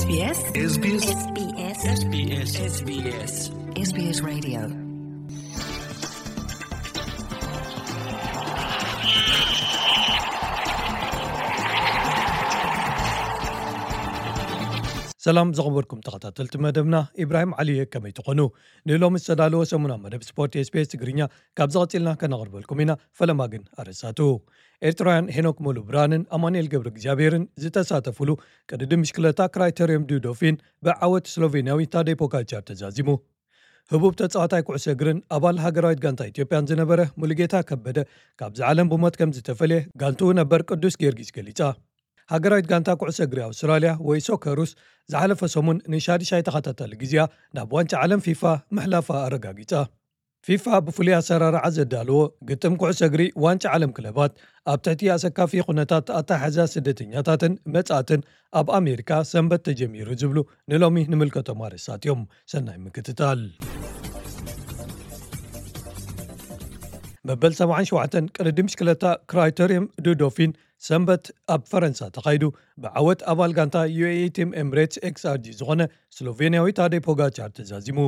SBS SBS SBS SBS SBS Radio. ሰላም ዝኸበርኩም ተኸታተልቲ መደብና፣ ኢብራሂም ዓሊ እየ። ከመይ ትኾኑ? ንሎሚ ዝተዳለወ ሰሙና መደብ ስፖርት SBS ትግርኛ ካብ ዝቐጺልና ከነቕርበልኩም ኢና። ፈለማ ግን ኣርእስታቱ። ኤርትራውያን ሄኖክ ሙሉብርሃንን ኣማኑኤል ገብረ እግዚኣብሔርን ዝተሳተፉሉ ቅድድም ብሽክለታ ክራይተርዮም ዱ ዶፊን ብዓወት ስሎቬንያዊ ታደይ ፖጋቻር ተዛዚሙ። ህቡብ ተጻዋታይ ኩዕሶ እግርን ኣባል ሃገራዊት ጋንታ ኢትዮጵያን ዝነበረ ሙሉጌታ ከበደ ካብዚ ዓለም ብሞት ከም ዝተፈልየ ጋንትኡ ነበር ቅዱስ ጊዮርጊስ ገሊጻ። ሃገራዊት ጋንታ ኩዕሶ እግሪ ኣውስትራልያ ወይ ሶከሩስ ዝሓለፈ ሰሙን ንሻድሻይ ተኸታታሊ ግዜኣ ናብ ዋንጫ ዓለም ፊፋ ምሕላፋ ኣረጋጊጻ። ፊፋ ብፍሉይ ኣሰራርዓ ዘዳለዎ ግጥም ኩዕሶ እግሪ ዋንጫ ዓለም ክለባት ኣብ ትሕቲ ኣሰካፊ ኩነታት ኣተሓሕዛ ስደተኛታትን መጻእትን ኣብ ኣሜሪካ ሰንበት ተጀሚሩ ዝብሉ ንሎሚ ንምልከቶም ኣርእስታት እዮም። ሰናይ ምክትታል። መበል ሰብዓን ሸውዓተን ቅድድም ብሽክለታ ክራይተርዮም ዱ ዶፊን ሰንበት ኣብ ፈረንሳ ተኻይዱ ብዓወት ኣባል ጋንታ ዩ ኤ ኢ ቲም ኤምሬትስ ኤክስ ኣር ጂ ዝኾነ ስሎቬንያዊ ታደይ ፖጋቻር ተዛዚሙ።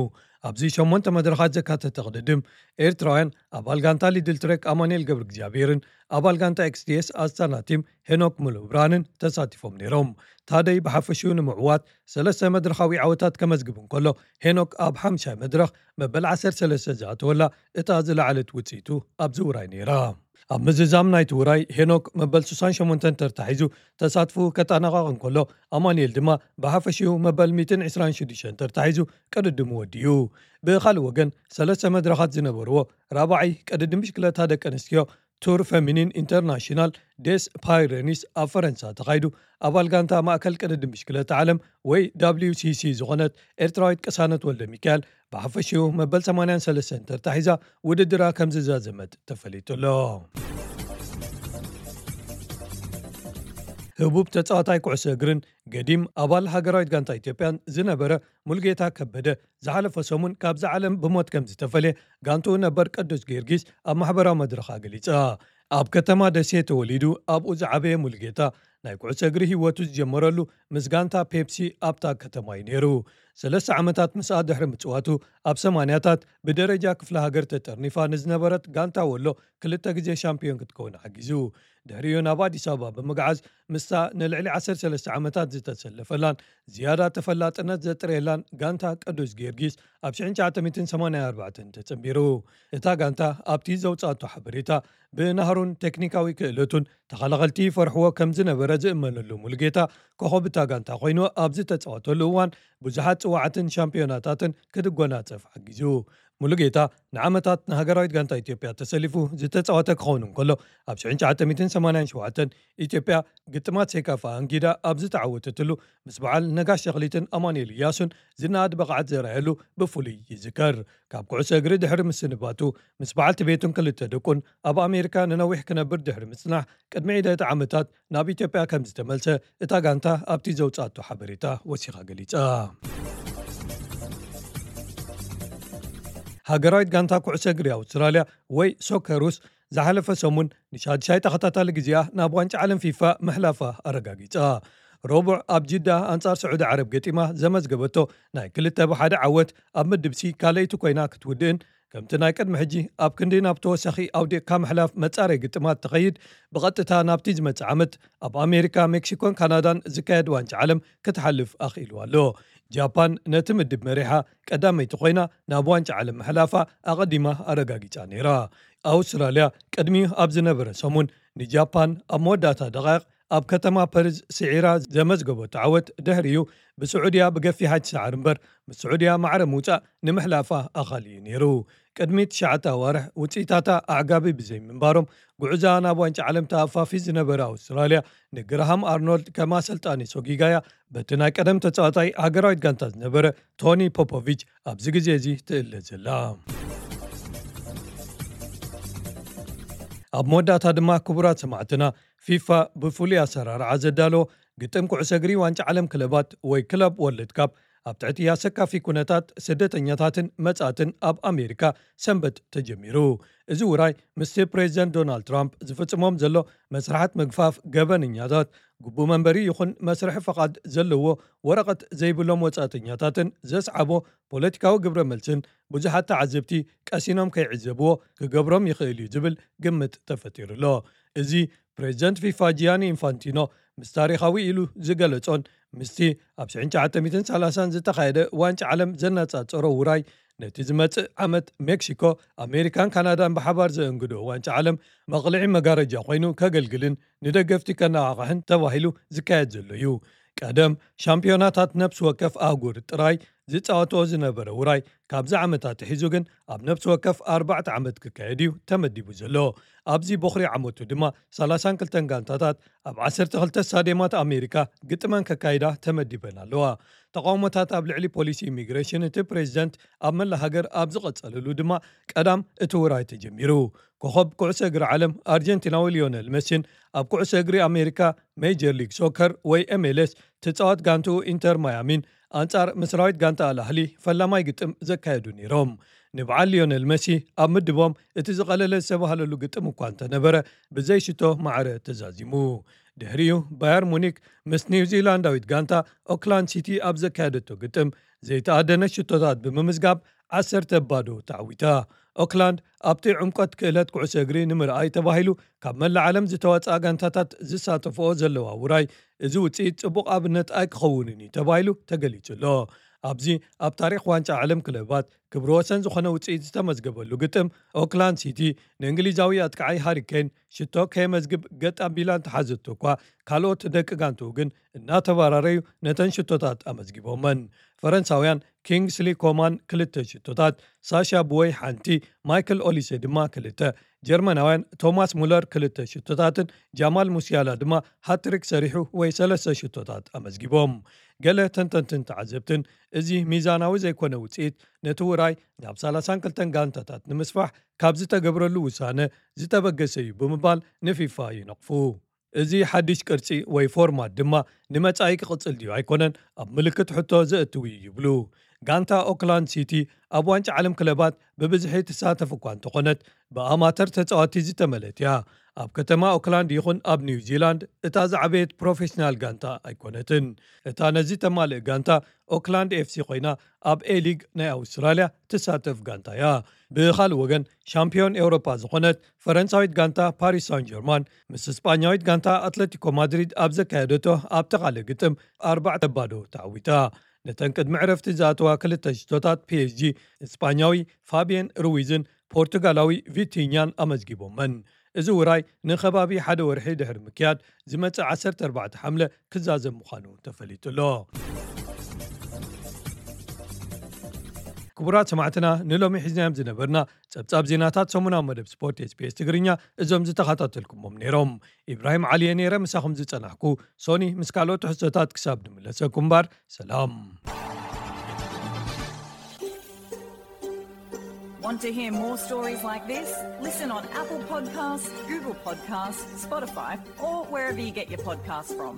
ኣብዚ ሸሞንተ መድረኻት ዘካተተ ቅድድም ኤርትራውያን ኣባል ጋንታ ሊድል ትሬክ ኣማኑኤል ገብረ እግዚኣብሔርን ኣባል ጋንታ ኤክስ ቲ ኤስ ኣስታና ቲም ሄኖክ ሙሉብርሃንን ተሳቲፎም ነይሮም። ታደይ ብሓፈሽኡ ንምዕዋት ሰለስተ መድረኻዊ ዓወታት ከመዝግብ እንከሎ፣ ሄኖክ ኣብ ሓምሻይ መድረኽ መበል ዓሰርተ ሰለስተ ዝኣተወላ እታ ዝለዓለት ውጽኢቱ ኣብዚ ውራይ ነይራ። ኣብ ምዝዛም ናይቲ ውራይ ሄኖክ መበል ስሳን ሸሞንተን ተርታ ሒዙ ተሳትፉ ከጠናቐቕ እንከሎ፣ ኣማኑኤል ድማ ብሓፈሽኡ መበል ሚእትን ዕስራን ሽዱሽተን ተርታ ሒዙ ቅድድሙ ወዲኡ። ብኻልእ ወገን፣ ሰለስተ መድረኻት ዝነበርዎ ራብዓይ ቅድድም ብሽክለታ ደቂ ኣንስትዮ ቱር ፌሚኒን ኢንተርናሽናል ዴስ ፓይረኒስ ኣብ ፈረንሳ ተኻይዱ ኣባል ጋንታ ማእከል ቅድድም ብሽክለታ ዓለም ወይ ዳብሊው ሲ ሲ ዝኾነት ኤርትራዊት ቅሳነት ወልደ ሚካኤል ብሓፈሽኡ መበል ሰማንያን ሰለስተን ተርታ ሒዛ ውድድራ ከም ዝዛዘመት ተፈሊጡ ኣሎ። ህቡብ ተጻዋታይ ኩዕሶ እግርን ገዲም ኣባል ሃገራዊት ጋንታ ኢትዮጵያን ዝነበረ ሙሉጌታ ከበደ ዝሓለፈ ሰሙን ካብዚ ዓለም ብሞት ከም ዝተፈልየ ጋንትኡ ነበር ቅዱስ ጊዮርጊስ ኣብ ማሕበራዊ መድረኻ ገሊጻ። ኣብ ከተማ ደሴ ተወሊዱ ኣብኡ ዝዓበየ ሙሉጌታ ናይ ኩዕሶ እግሪ ህይወቱ ዝጀመረሉ ምስ ጋንታ ፔፕሲ ኣብታ ከተማ እዩ ነይሩ። ሰለስተ ዓመታት ምስኣ ድሕሪ ምጽዋቱ ኣብ ሰማንያታት ብደረጃ ክፍለ ሃገር ተጠርኒፋ ንዝነበረት ጋንታ ወሎ ክልተ ግዜ ሻምፒዮን ክትከውን ሓጊዙ። ድሕሪኡ ናብ ኣዲስ ኣበባ ብምግዓዝ ምስታ ንልዕሊ ዓሰርተ ሰለስተ ዓመታት ዝተሰለፈላን ዝያዳ ተፈላጥነት ዘጥረየላን ጋንታ ቅዱስ ጊዮርጊስ ኣብ ሽሕን ትሽዓተ ሚእትን ሰማንያን ኣርባዕተን ተጸንቢሩ። እታ ጋንታ ኣብቲ ዘውጻእቶ ሓበሬታ ብናህሩን ቴክኒካዊ ክእለቱን ተኸላኸልቲ ይፈርሕዎ ከም ዝነበረ ዝእመነሉ ሙሉጌታ ኮኸብ እታ ጋንታ ኮይኑ ኣብ ዝተጻወተሉ እዋን ብዙሓት ጽዋዓትን ሻምፒዮናታትን ክድጎናጸፍ ሓጊዙ። ሙሉጌታ ንዓመታት ንሃገራዊት ጋንታ ኢትዮጵያ ተሰሊፉ ዝተጻወተ ክኸውን እንከሎ ኣብ ሽሕን ትሽዓተ ሚእትን ሰማንያን ሸውዓተን ኢትዮጵያ ግጥማት ሴካፋ ኣንጊዳ ኣብ ዝተዓወተትሉ ምስ በዓል ነጋሽ ተኽሊትን ኣማኑኤል እያሱን ዝነኣድ ብቕዓት ዘርኣየሉ ብፍሉይ ይዝከር። ካብ ኩዕሶ እግሪ ድሕሪ ምስንባቱ ምስ በዓልቲ ቤቱን ክልተ ደቁን ኣብ ኣሜሪካ ንነዊሕ ክነብር ድሕሪ ምጽናሕ ቅድሚ ዒደት ዓመታት ናብ ኢትዮጵያ ከም ዝተመልሰ እታ ጋንታ ኣብቲ ዘውጻእቶ ሓበሬታ ወሲኻ ገሊጻ። ሃገራዊት ጋንታ ኩዕሶ እግሪ ኣውስትራልያ ወይ ሶከሩስ ዝሓለፈ ሰሙን ንሻድሻይ ተኸታታሊ ግዜኣ ናብ ዋንጫ ዓለም ፊፋ ምሕላፋ ኣረጋጊጻ። ረቡዕ ኣብ ጅዳ ኣንጻር ስዑዲ ዓረብ ገጢማ ዘመዝገበቶ ናይ ክልተ ብሓደ ዓወት ኣብ ምድብ ሲ ካልኣይቲ ኮይና ክትውድእን ከምቲ ናይ ቅድሚ ሕጂ ኣብ ክንዲ ናብ ተወሳኺ ኣውዲቕካ ምሕላፍ መጻረይ ግጥማት ትኸይድ ብቐጥታ ናብቲ ዝመጽእ ዓመት ኣብ ኣሜሪካ፣ ሜክሲኮን ካናዳን ዝካየድ ዋንጫ ዓለም ክትሓልፍ ኣኽኢልዋ ኣሎ። ጃፓን ነቲ ምድብ መሪሓ ቀዳመይቲ ኮይና ናብ ዋንጫ ዓለም ምሕላፋ ኣቐዲማ ኣረጋጊጻ ነይራ። ኣውስትራልያ ቅድሚኡ ኣብ ዝነበረ ሰሙን ንጃፓን ኣብ መወዳእታ ደቓይቕ ኣብ ከተማ ፐርዝ ስዒራ ዘመዝገበቶ ዓወት ድሕሪኡ ብስዑድያ ብገፊሓ ትሰዓር እምበር ምስ ስዑድያ ማዕረ ምውጻእ ንምሕላፋ ኣኻሊ እዩ ነይሩ። ቅድሚ ትሽዓተ ኣዋርሕ ውጽኢታታ ኣዕጋቢ ብዘይምንባሮም ጉዕዛ ናብ ዋንጫ ዓለም ተኣፋፊ ዝነበረ ኣውስትራልያ ንግራሃም ኣርኖልድ ከም ኣሰልጣኒ ሰጒጋያ በቲ ናይ ቀደም ተጻዋታይ ሃገራዊት ጋንታ ዝነበረ ቶኒ ፖፖቪች ኣብዚ ግዜ እዚ ትእለ ዘላ። ኣብ መወዳእታ ድማ ክቡራት ሰማዕትና ፊፋ ብፍሉይ ኣሰራርዓ ዘዳለዎ ግጥም ኩዕሶ እግሪ ዋንጫ ዓለም ክለባት ወይ ክለብ ወርልድ ካፕ ኣብ ትሕቲ ኣሰካፊ ኩነታት ስደተኛታትን መጻእትን ኣብ ኣሜሪካ ሰንበት ተጀሚሩ። እዚ ውራይ ምስቲ ፕሬዚደንት ዶናልድ ትራምፕ ዝፍጽሞም ዘሎ መስርሓት ምግፋፍ ገበነኛታት፣ ግቡእ መንበሪ ይኹን መስርሒ ፈቓድ ዘለዎ ወረቐት ዘይብሎም ወጻእተኛታትን ዘስዓቦ ፖለቲካዊ ግብረ መልስን ብዙሓት ተዓዘብቲ ቀሲኖም ከይዕዘብዎ ክገብሮም ይኽእል እዩ ዝብል ግምት ተፈጢሩ ኣሎ። እዚ ፕሬዚደንት ፊፋ ጂያኒ ኢንፋንቲኖ ምስ ታሪኻዊ ኢሉ ዝገለጾን ምስቲ ኣብ ሽሕን ትሽዓተ ሚእትን ሰላሳን ዝተኻየደ ዋንጫ ዓለም ዘነጻጸሮ ውራይ፣ ነቲ ዝመጽእ ዓመት ሜክሲኮ፣ ኣሜሪካን ካናዳን ብሓባር ዘእንግዶ ዋንጫ ዓለም መቕልዒ መጋረጃ ኮይኑ ከገልግልን ንደገፍቲ ከነቓቕሕን ተባሂሉ ዝካየድ ዘሎ እዩ። ቀደም ሻምፒዮናታት ነፍሲ ወከፍ ኣህጉር ጥራይ ዝጻወትኦ ዝነበረ ውራይ፣ ካብዚ ዓመታት ኣትሒዙ ግን ኣብ ነፍሲ ወከፍ ኣርባዕተ ዓመት ክካየድ እዩ ተመዲቡ ዘሎ። ኣብዚ ቦኽሪ ዓመቱ ድማ ሰላሳን ክልተን ጋንታታት ኣብ ዓሰርተ ክልተ ስታድየማት ኣሜሪካ ግጥመን ከካይዳ ተመዲበን ኣለዋ። ተቃውሞታት ኣብ ልዕሊ ፖሊሲ ኢሚግሬሽን እቲ ፕሬዚደንት ኣብ መላ ሃገር ኣብ ዝቐጸለሉ ድማ ቀዳም እቲ ውራይ ተጀሚሩ። ኮኸብ ኩዕሶ እግሪ ዓለም ኣርጀንቲናዊ ሊዮነል መሲን ኣብ ኩዕሶ እግሪ ኣሜሪካ ሜጀር ሊግ ሶከር ወይ ኤምኤልኤስ ትጻወት ጋንትኡ ኢንተር ማያሚን ኣንጻር ምስራዊት ጋንታ ኣልኣህሊ ፈላማይ ግጥም ዘካየዱ ነይሮም። ንበዓል ሊዮነል መሲ ኣብ ምድቦም እቲ ዝቐለለ ዝተባህለሉ ግጥም እኳ እንተነበረ፣ ብዘይ ሽቶ ማዕረ ተዛዚሙ። ድሕሪኡ ባየር ሙኒክ ምስ ኒውዚላንዳዊት ጋንታ ኦክላንድ ሲቲ ኣብ ዘካየደቶ ግጥም ዘይተኣደነ ሽቶታት ብምምዝጋብ ዓሰርተ ባዶ ተዓዊታ። ኦክላንድ ኣብቲ ዕምቆት ክእለት ኩዕሶ እግሪ ንምርኣይ ተባሂሉ ካብ መላእ ዓለም ዝተዋጽኣ ጋንታታት ዝሳተፍኦ ዘለዋ ውራይ፣ እዚ ውጽኢት ጽቡቕ ኣብነት ኣይክኸውንን እዩ ተባሂሉ ተገሊጹ ኣሎ። ኣብዚ ኣብ ታሪኽ ዋንጫ ዓለም ክለባት ክብሪ ወሰን ዝኾነ ውጽኢት ዝተመዝገበሉ ግጥም፣ ኦክላንድ ሲቲ ንእንግሊዛዊ ኣጥቃዓይ ሃሪ ኬን ሽቶ ከየመዝግብ ገጥ ኣቢላ እንተሓዘቶ እኳ፣ ካልኦት ደቂ ጋንትኡ ግን እናተባራረዩ ነተን ሽቶታት ኣመዝጊቦመን። ፈረንሳውያን ኪንግስሊ ኮማን ክልተ ሽቶታት፣ ሳሻ ብወይ ሓንቲ፣ ማይክል ኦሊሴ ድማ ክልተ፣ ጀርመናውያን ቶማስ ሙለር ክልተ ሽቶታትን ጃማል ሙሲያላ ድማ ሃትሪክ ሰሪሑ ወይ ሰለስተ ሽቶታት ኣመዝጊቦም። ገለ ተንተንትን ተዓዘብትን፣ እዚ ሚዛናዊ ዘይኮነ ውጽኢት ነቲ ውራይ ናብ ሰላሳን ክልተን ጋንታታት ንምስፋሕ ካብ ዝተገብረሉ ውሳነ ዝተበገሰ እዩ ብምባል ንፊፋ ይነቕፉ። እዚ ሓድሽ ቅርጺ ወይ ፎርማት ድማ ንመጻኢ ክቕጽል ድዩ ኣይኮነን ኣብ ምልክት ሕቶ ዘእትው እዩ ይብሉ። ጋንታ ኦክላንድ ሲቲ ኣብ ዋንጫ ዓለም ክለባት ብብዝሒ ትሳተፍ እኳ እንተኾነት፣ ብኣማተር ተጻወቲ ዝተመለት እያ። ኣብ ከተማ ኦክላንድ ይኹን ኣብ ኒውዚላንድ እታ ዝዓበየት ፕሮፌሽናል ጋንታ ኣይኮነትን። እታ ነዚ ተማልእ ጋንታ ኦክላንድ ኤፍሲ ኮይና፣ ኣብ ኤ ሊግ ናይ ኣውስትራልያ ትሳተፍ ጋንታ እያ። ብኻልእ ወገን፣ ሻምፒዮን ኤውሮፓ ዝኾነት ፈረንሳዊት ጋንታ ፓሪስ ሳን ጀርማን ምስ ስጳኛዊት ጋንታ ኣትለቲኮ ማድሪድ ኣብ ዘካየደቶ ኣብቲ ካልእ ግጥም ኣርባዕተ ባዶ ተዓዊታ። ነተን ቅድሚ ዕረፍቲ ዝኣተዋ ክልተ ሽቶታት ፒኤስጂ፣ ስጳኛዊ ፋቢየን ሩዊዝን ፖርቱጋላዊ ቪቲኛን ኣመዝጊቦመን። እዚ ውራይ ንከባቢ ሓደ ወርሒ ድሕሪ ምክያድ፣ ዝመጽእ ዓሰርተ ኣርባዕተ ሓምለ ክዛዘም ምዃኑ ተፈሊጡ ኣሎ። ክቡራት ሰማዕትና፣ ንሎሚ ሒዝናዮም ዝነበርና ጸብጻብ ዜናታት ሰሙናዊ መደብ ስፖርት ኤስቢኤስ ትግርኛ እዞም ዝተኸታተልኩሞም ነይሮም። ኢብራሂም ዓሊየ ነይረ ምሳኹም ዝጸናሕኩ። ሶኒ ምስ ካልኦት ትሕዝቶታት ክሳብ ንምለሰኩም እምበር፣ ሰላም። Want to hear more stories like this? Listen on Apple Podcasts, Google Podcasts, Spotify, or wherever you get your podcasts from.